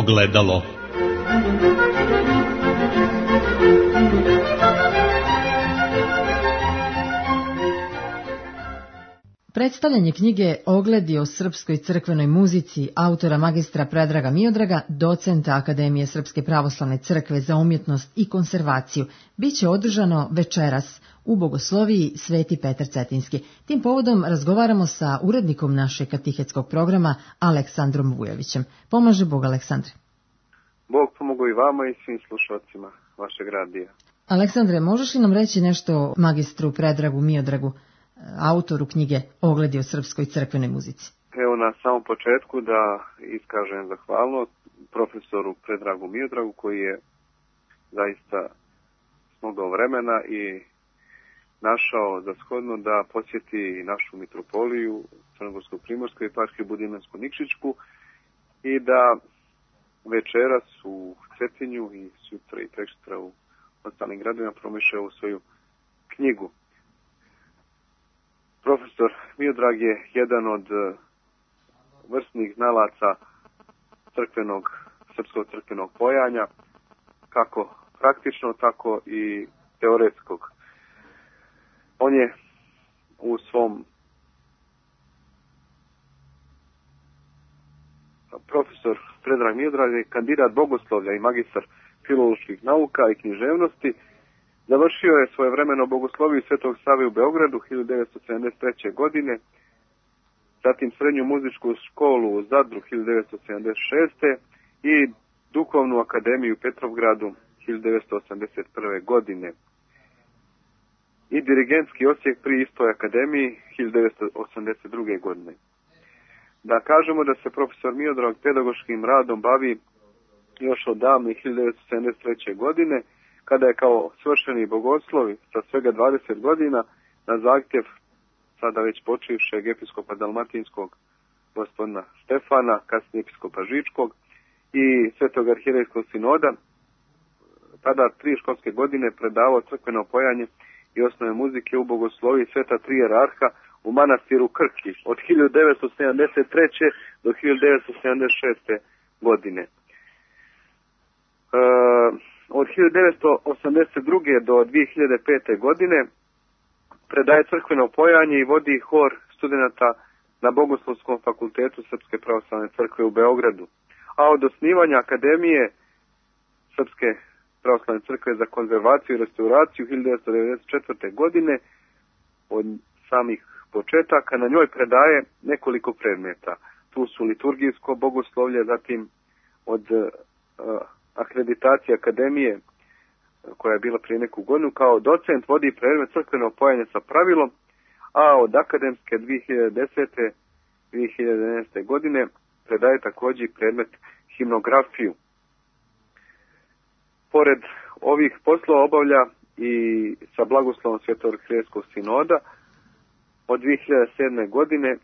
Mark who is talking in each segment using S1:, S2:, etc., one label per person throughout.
S1: Ogledalo.
S2: Predstavljanje knjige Ogledi o srpskoj crkvenoj muzici autora magistra Predraga Miodraga, docenta Akademije Srpske pravoslavne crkve za umjetnost i konservaciju, biće održano večeras u Bogosloviji Sveti Petar Cetinski. Tim povodom razgovaramo sa urednikom našeg katehetskog programa Aleksandrom Vujovićem. Pomaže Bog, Aleksandre.
S3: Bog pomogao i vama i svim slušalcima vašeg radija.
S2: Aleksandre, možeš li nam reći nešto o magistru Predragu Miodragu, autoru knjige Ogledi o srpskoj crkvenoj muzici?
S3: Evo, na samom početku da iskažem zahvalnost profesoru Predragu Miodragu, koji je zaista smogao vremena i našao za shodno da posjeti našu mitropoliju Crnogorsko-Primorsku, Eparhiju Budimljansko-Nikšićku i da večeras u Cetinju i sutra i preksutra u ostalim gradovima promiše ovu svoju knjigu. Profesor Miodrag je jedan od vrsnih znalaca srpskog crkvenog pojanja, kako praktično, tako i teoretskog. On je u svom profesor Predrag Miodrag je kandidat bogoslovlja i magistar filoloških nauka i književnosti. Završio je svojevremeno bogosloviju Svetog Save u Beogradu 1973. godine, zatim srednju muzičku školu u Zadru 1976. i Duhovnu akademiju u Petrovgradu 1981. godine i dirigentski odsjek pri istoj akademiji 1982. godine. Da kažemo da se profesor Miodrag pedagoškim radom bavi još od davne 1973. godine, kada je kao svršeni bogoslovi sa svega 20 godina na zahtjev sada već počivšeg episkopa Dalmatinskog gospodina Stefana, kasnije episkopa Žičkog i Svetog arhierejskog sinoda, tada 3 školske godine predavao crkveno pojanje i osnove muzike u bogosloviji Sveta Tri jerarha u manastiru Krki od 1973. do 1976. godine. Od 1982. do 2005. godine predaje crkveno pojanje i vodi hor studenata na Bogoslovskom fakultetu Srpske pravoslavne crkve u Beogradu. A od osnivanja Akademije Srpske pravoslavne crkve za konzervaciju i restauraciju 1994. godine, od samih početaka, na njoj predaje nekoliko predmeta. Tu su liturgijsko bogoslovlje, zatim od akreditacije Akademije, koja je bila prije neku godinu, kao docent vodi predmet crkveno pojanje sa pravilom, a od akademske 2010. 2011. godine predaje također predmet himnografiju. Pored ovih poslova obavlja i sa blagoslovom Svetog arhierejskog sinoda od 2007. godine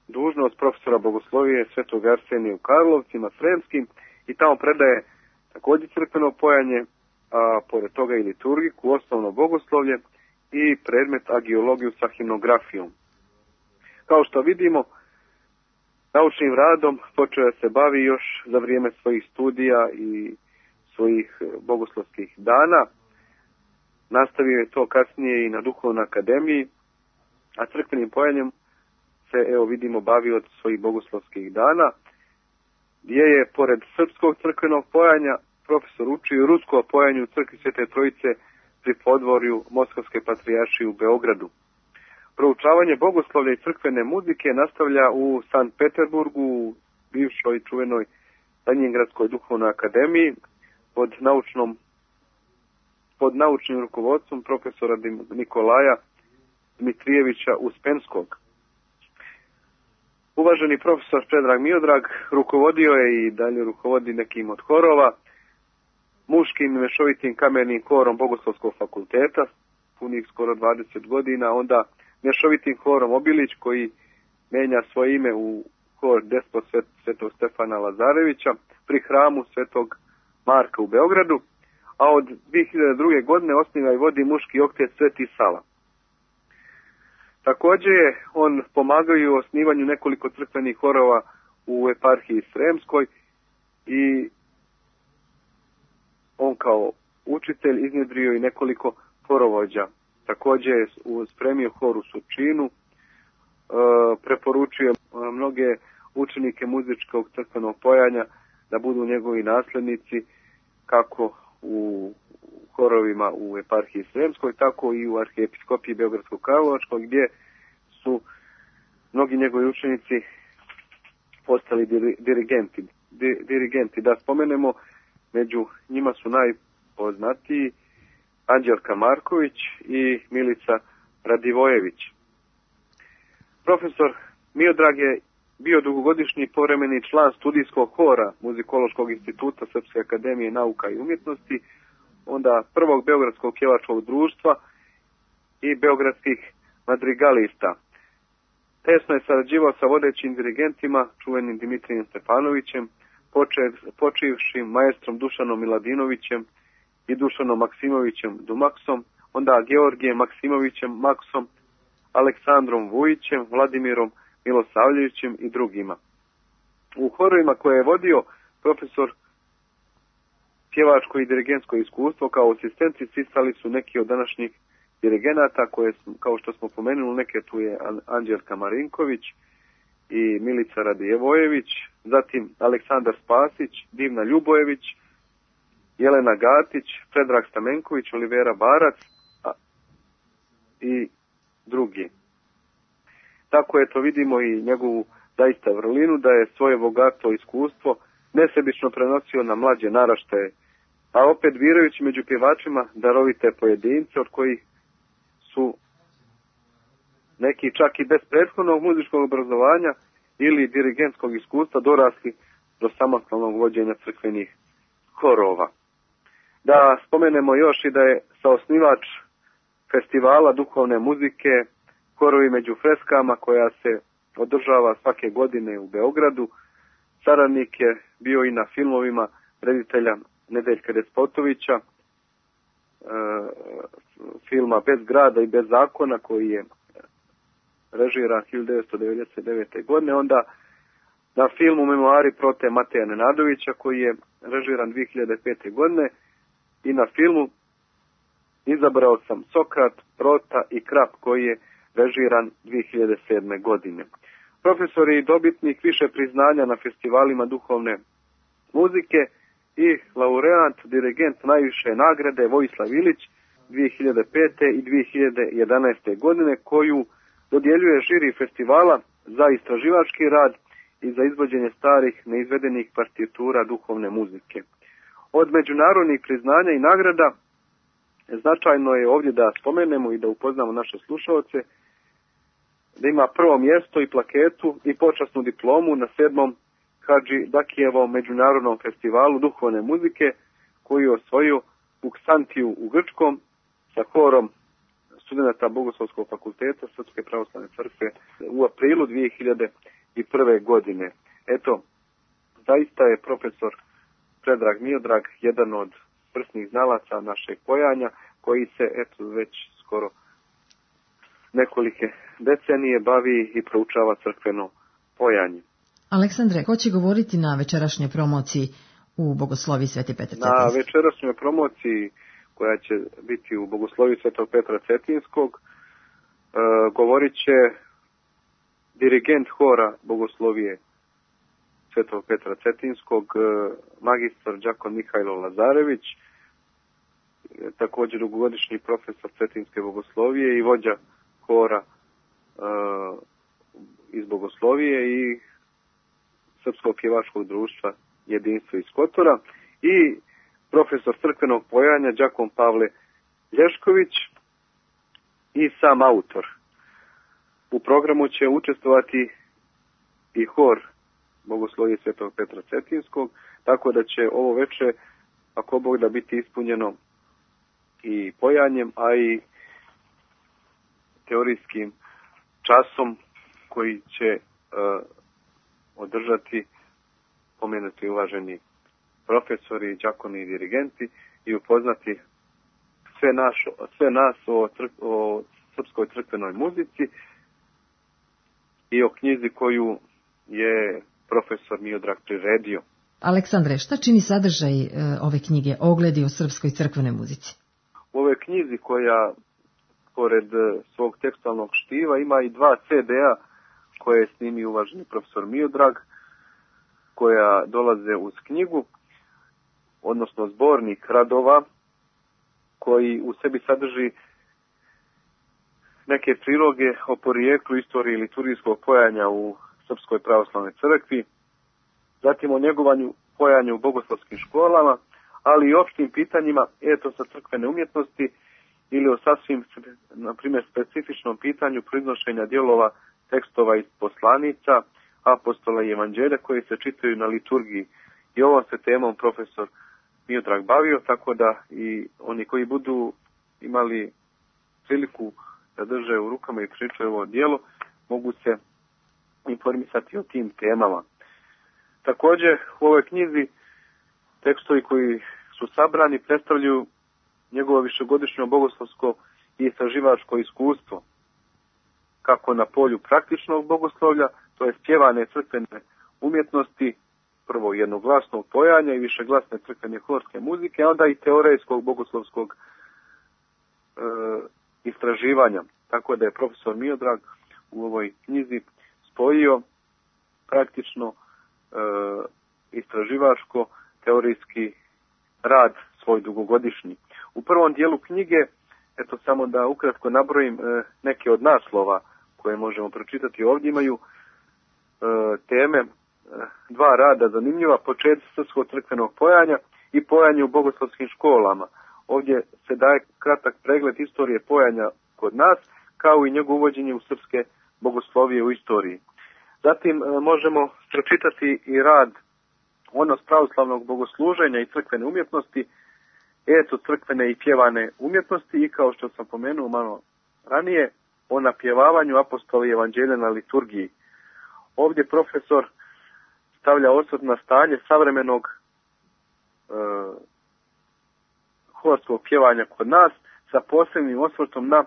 S3: dužnost profesora bogoslovije Svetog Arsenija u Karlovcima Sremskim i tamo predaje također crkveno pojanje, a pored toga i liturgiku, osnovno bogoslovlje i predmet agiologiju sa himnografijom. Kao što vidimo, naučnim radom počeo je se bavi još za vrijeme svojih studija i svojih bogoslovskih dana. Nastavio je to kasnije i na Duhovnoj akademiji, a crkvenim pojanjem se, evo vidimo, bavi od svojih bogoslovskih dana, gdje je, pored srpskog crkvenog pojanja, profesor učio rusko pojanje u crkvi Svete Trojice pri podvorju Moskovske patrijaršije u Beogradu. Proučavanje bogoslovlja i crkvene muzike nastavlja u Sankt Peterburgu, u bivšoj čuvenoj Lenjingradskoj duhovnoj akademiji, pod naučnim rukovodstvom profesora Nikolaja Dmitrijevića Uspenskog. Uvaženi profesor Predrag Miodrag rukovodio je i dalje rukovodi nekim od horova, muškim i mešovitim kamernim horom Bogoslovskog fakulteta, punih skoro 20 godina, onda mješovitim horom Obilić, koji menja svoje ime u hor Despot Svetog Stefana Lazarevića pri hramu Svetog Marka u Beogradu, a od 2002. godine osniva i vodi muški oktet Sveti Sava. Također je on pomagao u osnivanju nekoliko crkvenih horova u eparhiji Sremskoj i on kao učitelj iznjedrio i nekoliko horovođa. Također je spremio hor u Surčinu, preporučio mnoge učenike muzičkog crkvenog pojanja da budu njegovi nasljednici kako u horovima u eparhiji Sremskoj, tako i u arhiepiskopiji Beogradsko-Karlovačkoj, gdje su mnogi njegovi učenici postali dirigenti. Da spomenemo, među njima su najpoznatiji Anđelka Marković i Milica Radivojević. Profesor Miodrag je bio dugogodišnji povremeni član studijskog hora Muzikološkog instituta Srpske akademije nauka i umjetnosti, onda prvog Beogradskog pjevačkog društva i beogradskih madrigalista. Tesno je sarađivao sa vodećim dirigentima, čuvenim Dimitrijem Stefanovićem, počivšim maestrom Dušanom Miladinovićem i Dušanom Maksimovićem Dumaksom, onda Georgijem Maksimovićem Maksom, Aleksandrom Vujićem, Vladimirom Milosavljevićem i drugima. U horovima koje je vodio profesor pjevačko i dirigentsko iskustvo kao asistenti sticali su neki od današnjih dirigenata koje, kao što smo pomenuli, neke tu je Anđelka Marinković i Milica Radijevojević, zatim Aleksandar Spasić, Divna Ljubojević, Jelena Gatić, Predrag Stamenković, Olivera Barac i drugi. Tako eto vidimo i njegovu zaista vrlinu da je svoje bogato iskustvo nesebično prenosio na mlađe naraštaje, a opet birajući među pjevačima darovite pojedince od kojih su neki čak i bez prethodnog muzičkog obrazovanja ili dirigentskog iskustva dorasli do samostalnog vođenja crkvenih horova. Da spomenemo još i da je saosnivač festivala duhovne muzike Horovi među freskama koja se održava svake godine u Beogradu. Saradnik je bio i na filmovima reditelja Nedeljka Despotovića, filma Bez grada i bez zakona koji je režiran 1999. godine, onda na filmu Memoari prote Mateja Nenadovića koji je režiran 2005. godine i na filmu Izabrao sam Sokrat, Prota i Krap koji je režiran 2007. godine. Profesor je i dobitnik više priznanja na festivalima duhovne muzike i laureat, dirigent najviše nagrade Vojislav Ilić 2005. i 2011. godine koju dodjeljuje žiri festivala za istraživački rad i za izvođenje starih neizvedenih partitura duhovne muzike. Od međunarodnih priznanja i nagrada značajno je ovdje da spomenemo i da upoznamo naše slušalce da ima prvo mjesto i plaketu i počasnu diplomu na 7. Hadži Dakijevom međunarodnom festivalu duhovne muzike koji je osvojio u Ksantiju u Grčkom sa horom studenata Bogoslovskog fakulteta Srpske pravoslavne crkve u aprilu 2001. godine. Eto, zaista je profesor Predrag Miodrag jedan od vrsnih znalaca našeg pojanja koji se eto već skoro nekolike decenije bavi i proučava crkveno pojanje.
S2: Aleksandre, ko će govoriti na večerašnjoj promociji u Bogosloviji Sveti Petar Cetinski?
S3: Na večerašnjoj promociji koja će biti u Bogosloviji Svetog Petra Cetinskog govorit će dirigent hora Bogoslovije Svetog Petra Cetinskog, magistar đakon Mihajlo Lazarević, također dugogodišnji profesor Cetinske bogoslovije i vođa hora iz Bogoslovije i Srpskog pjevačkog društva Jedinstvo iz Kotora i profesor crkvenog pojanja đakon Pavle Lješković i sam autor. U programu će učestvovati i hor Bogoslovije Svetog Petra Cetinskog, tako da će ovo veče, ako Bog da, biti ispunjeno i pojanjem, a i teorijskim časom koji će održati pomenuti uvaženi profesori, đakoni i dirigenti i upoznati sve nas o srpskoj crkvenoj muzici i o knjizi koju je profesor Miodrag priredio.
S2: Aleksandre, šta čini sadržaj ove knjige Ogledi o srpskoj crkvenoj muzici?
S3: U ovoj knjizi koja, pored svog tekstualnog štiva, ima i 2 CD-a koje je snimio uvaženi profesor Miodrag, koja dolaze uz knjigu, odnosno zbornik radova, koji u sebi sadrži neke priloge o porijeklu, istoriji liturgijskog pojanja u Srpskoj pravoslavnoj crkvi, zatim o njegovanju pojanja u bogoslovskim školama, ali i opštim pitanjima etosa crkvene umjetnosti ili o sasvim, na primjer, specifičnom pitanju proiznošenja dijelova tekstova iz poslanica, apostola i evanđelja koji se čitaju na liturgiji. I ovom se temom profesor Miodrag bavio, tako da i oni koji budu imali priliku da drže u rukama i pričaju ovo djelo, mogu se informisati o tim temama. Također u ovoj knjizi tekstovi koji su sabrani predstavljaju njegovo višegodišnje bogoslovsko i istraživačko iskustvo, kako na polju praktičnog bogoslovlja, to je pjevane crkvene umjetnosti, prvo jednoglasnog pojanja i višeglasne crkvene horske muzike, a onda i teoretskog bogoslovskog istraživanja. Tako da je profesor Miodrag u ovoj knjizi spojio praktično istraživačko teorijski rad svoj dugogodišnji. U prvom dijelu knjige, eto samo da ukratko nabrojim neke od naslova koje možemo pročitati ovdje, imaju teme 2 rada zanimljiva, početci srpskog crkvenog pojanja i pojanje u bogoslovskim školama. Ovdje se daje kratak pregled istorije pojanja kod nas, kao i njegovo uvođenje u srpske bogoslovije u istoriji. Zatim možemo pročitati i rad odnos pravoslavnog bogosluženja i crkvene umjetnosti, eto crkvene i pjevane umjetnosti i, kao što sam pomenuo malo ranije, o napjevavanju apostola i evanđelja na liturgiji. Ovdje profesor stavlja osvrt na stanje savremenog horskog pjevanja kod nas, sa posebnim osvrtom na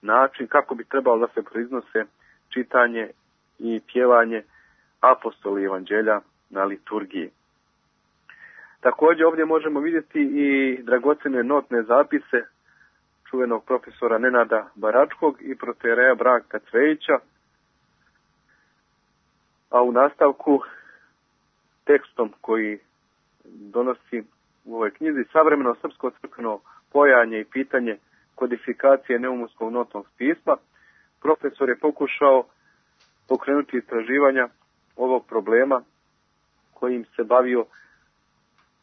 S3: način kako bi trebalo da se proiznose čitanje i pjevanje apostola i evanđelja na liturgiji. Također ovdje možemo vidjeti i dragocjene notne zapise čuvenog profesora Nenada Baračkog i protereja Branka Cvejića, a u nastavku tekstom koji donosi u ovoj knjizi savremeno srpsko crkveno pojanje i pitanje kodifikacije neumanskog notnog pisma, profesor je pokušao pokrenuti istraživanja ovog problema kojim se bavio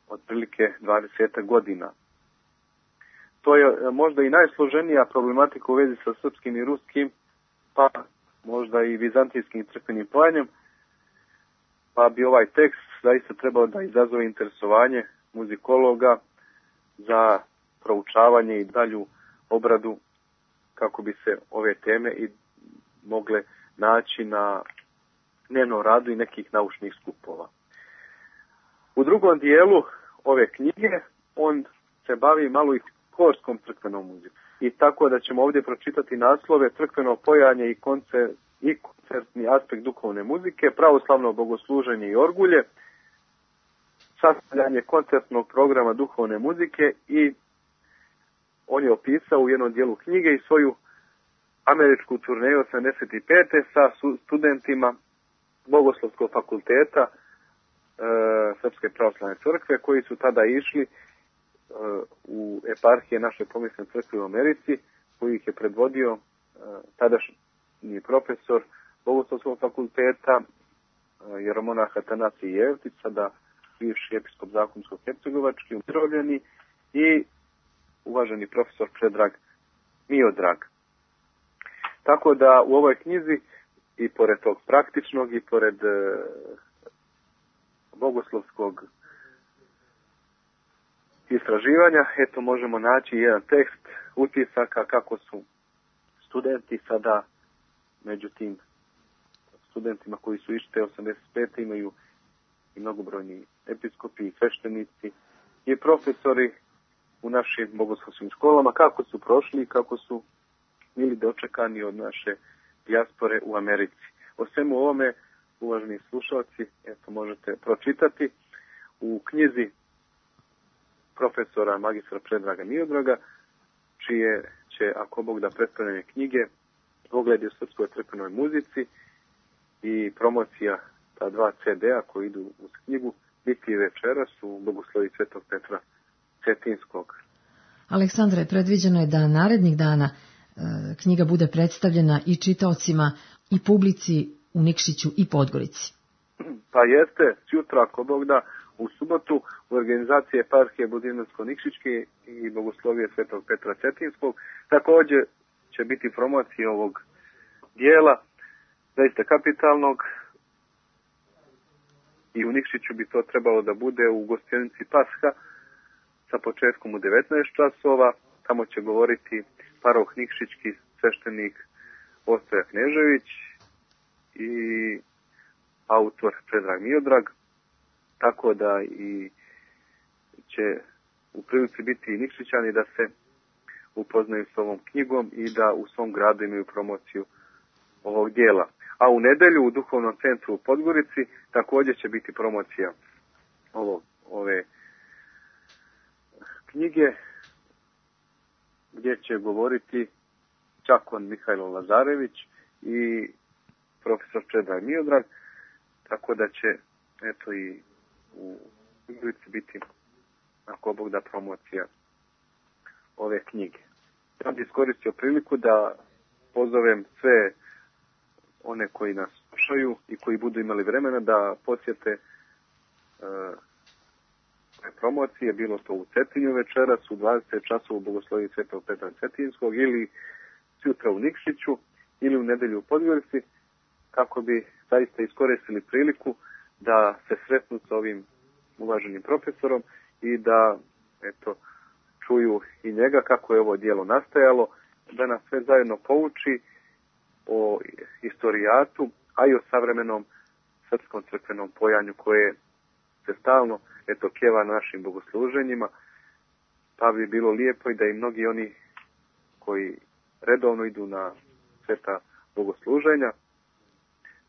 S3: otprilike 20 godina. To je možda i najsloženija problematika u vezi sa srpskim i ruskim, pa možda i vizantijskim crkvenim pojanjem, pa bi ovaj tekst zaista trebao da izazove interesovanje muzikologa za proučavanje i dalju obradu, kako bi se ove teme i mogle naći na dnevnom radu i nekih naučnih skupova. U drugom dijelu ove knjige on se bavi malo i horskom crkvenom muzikom. I tako da ćemo ovdje pročitati naslove crkveno pojanje i koncertni aspekt duhovne muzike, pravoslavno bogosluženje i orgulje, sastavljanje koncertnog programa duhovne muzike, i on je opisao u jednom dijelu knjige i svoju američku turneju 85. sa studentima Bogoslovskog fakulteta Srpske pravoslavne crkve, koji su tada išli u eparhije naše pomijesne crkve u Americi, koji ih je predvodio tadašnji profesor Bogoslovskog fakulteta jeromonah Atanasije Jevtić, sada bivši episkop Zakonsko-hercegovački, umirovljeni, i uvaženi profesor Predrag Miodrag. Tako da u ovoj knjizi, i pored tog praktičnog i pored bogoslovskog istraživanja, eto možemo naći jedan tekst utisaka kako su studenti sada, među tim studentima koji su išli te 85. imaju i mnogobrojni episkopi i sveštenici i profesori u našim bogoslovskim školama, kako su prošli i kako su bili dočekani od naše dijaspore u Americi. O svemu ovome uvaženi slušalci, možete pročitati u knjizi profesora magistra Predraga Miodraga, čije će, ako Bog da, predstavljanje knjige Ogledi o srpskoj crkvenoj muzici i promocija ta 2 CD-a koji idu uz knjigu biti večeras u Bogoslovi Svetog Petra Cetinskog.
S2: Aleksandre, predviđeno je da narednih dana knjiga bude predstavljena i čitaocima i publici u Nikšiću i Podgorici.
S3: Pa jeste, sutra, ako Bog da, u subotu u organizaciji eparhije Budimirsko-Nikšićke i Bogoslovije Svetog Petra Cetinskog. Također će biti promocija ovog dijela, zaista kapitalnog, i u Nikšiću bi to trebalo da bude u gostionici Pasha sa početkom u 19 časova. Tamo će govoriti paroh nikšićki sveštenik Ostoja Knežević i autor Predrag Miodrag, tako da i će u prilici biti i Nikšićani da se upoznaju s ovom knjigom i da u svom gradu imaju promociju ovog dijela. A u nedelju u Duhovnom centru u Podgorici također će biti promocija ove knjige, gdje će govoriti Čakon Mihajlo Lazarević i profesor Predrag Miodrag, tako da će i u Podgorici biti, ako Bog da, promocija ove knjige. Ja bih iskoristio priliku da pozovem sve one koji nas slušaju i koji budu imali vremena da posjete promocije, bilo to u Cetinju večeras u 20 časova u Bogosloviji Svetog Petra Cetinskog ili sutra u Nikšiću ili u nedelju u Podgorici, kako bi zaista iskoristili priliku da se sretnu s ovim uvaženim profesorom i da čuju i njega kako je ovo djelo nastajalo, da nas sve zajedno pouči o istorijatu, a i o savremenom srpskom crkvenom pojanju koje se stalno pjeva na našim bogosluženjima, pa bi bilo lijepo i da i mnogi oni koji redovno idu na sveta bogosluženja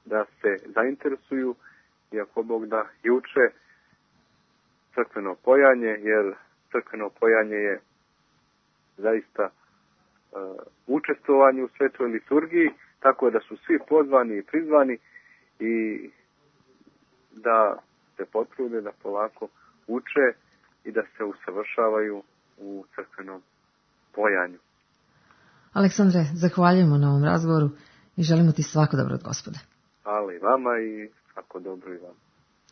S3: da se zainteresuju i ako Bog da i uče crkveno pojanje, jer crkveno pojanje je zaista učestvovanje u svetoj liturgiji, tako da su svi pozvani i prizvani i da se potrude da polako uče i da se usavršavaju u crkvenom pojanju.
S2: Aleksandre, zahvaljujemo na ovom razgovoru i želimo ti svako dobro od Gospoda.
S3: Hvala i vama i svako dobro i vama.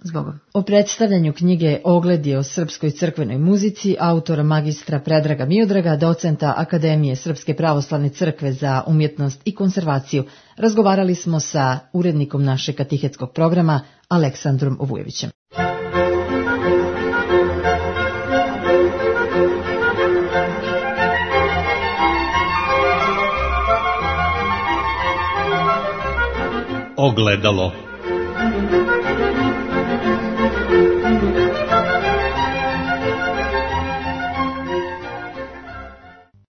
S2: Zbogom. O predstavljanju knjige Ogledi o srpskoj crkvenoj muzici autora magistra Predraga Miodraga, docenta Akademije Srpske pravoslavne crkve za umjetnost i konservaciju, razgovarali smo sa urednikom našeg katehetskog programa Aleksandrom Ovujevićem.
S1: Ogledalo.